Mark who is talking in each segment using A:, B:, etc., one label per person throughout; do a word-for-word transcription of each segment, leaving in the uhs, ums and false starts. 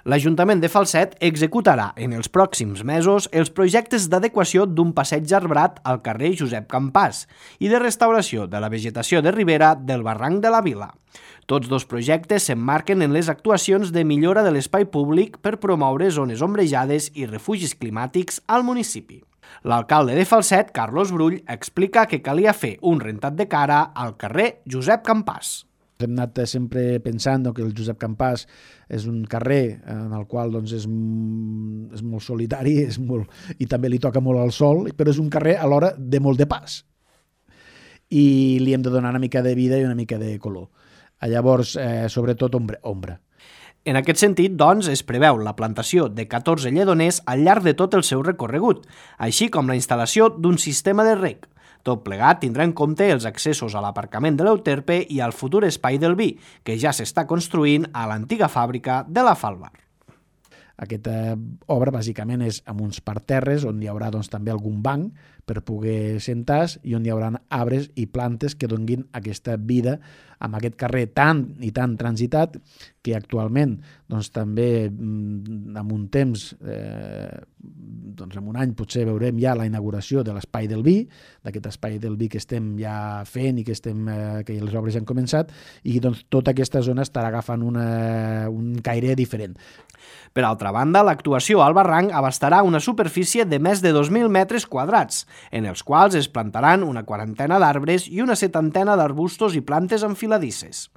A: L'Ajuntament de Falset executarà en els pròxims mesos els projectes d'adequació d'un passeig arbrat al carrer Josep Campàs i de restauració de la vegetació de ribera del barranc de la Vila. Tots dos projectes s'emmarquen en les actuacions de millora de l'espai públic per promoure zones ombrejades i refugis climàtics al municipi. L'alcalde de Falset, Carlos Brull, explica que calia fer un rentat de cara al carrer Josep Campàs.
B: Hem anat sempre pensant que el Josep Campàs és un carrer en el qual doncs, és, és molt solitari és molt, i també li toca molt al sol, però és un carrer alhora de molt de pas. I li hem de donar una mica de vida i una mica de color. Llavors, eh, sobretot, ombra. ombra.
A: En aquest sentit, doncs, es preveu la plantació de catorze lledoners al llarg de tot el seu recorregut, així com la instal·lació d'un sistema de reg. Tot plegat tindrà en compte els accessos a l'aparcament de l'Euterpe i al futur espai del vi, que ja s'està construint a l'antiga fàbrica de la Falvar.
B: Aquesta obra bàsicament és amb uns parterres on hi haurà doncs, també algun banc per poder sentar-se i on hi haurà arbres i plantes que donguin aquesta vida amb aquest carrer tan i tan transitat que actualment doncs, també en un temps, eh, doncs, en un any potser veurem ja la inauguració de l'espai del vi, d'aquest espai del vi que estem ja fent i que, estem, eh, que les obres han començat i doncs, tota aquesta zona estarà agafant una, un caire diferent.
A: Per altra banda, l'actuació al barranc abastarà una superfície de més de dos mil metres quadrats, en els quals es plantaran una quarantena d'arbres i una setantena d'arbustos i plantes enfiladisses.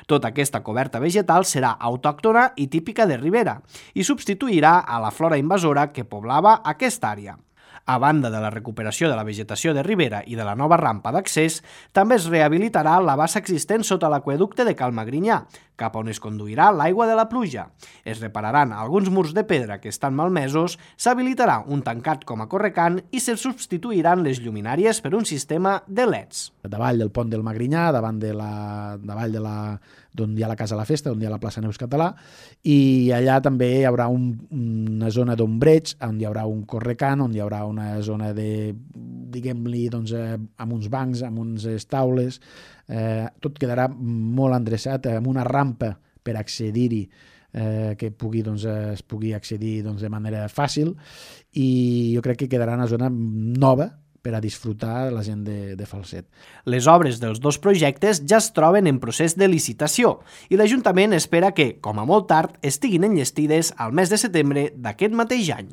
A: Tota aquesta coberta vegetal serà autòctona i típica de ribera i substituirà a la flora invasora que poblava aquesta àrea. A banda de la recuperació de la vegetació de ribera i de la nova rampa d'accés, també es rehabilitarà la bassa existent sota l'aqüeducte de Cal Magrinyà, cap on es conduirà l'aigua de la pluja. Es repararan alguns murs de pedra que estan malmesos, s'habilitarà un tancat com a correcant i se substituiran les lluminàries per un sistema de L E Ds.
B: Davall del pont del Magrinyà, davant de la, davall de la, d'on hi ha la Casa de la Festa, on hi ha la plaça Neus Català, i allà també hi haurà un, una zona d'ombreig, on hi haurà un correcant, on hi haurà una zona de, diguem-li, doncs, eh, amb uns bancs, amb unes taules, eh, tot quedarà molt endreçat, amb una rampa per accedir-hi, eh, que pugui, doncs, es pugui accedir doncs, de manera fàcil, i jo crec que quedarà una zona nova per a disfrutar la gent de, de Falset.
A: Les obres dels dos projectes ja es troben en procés de licitació i l'Ajuntament espera que, com a molt tard, estiguin enllestides al mes de setembre d'aquest mateix any.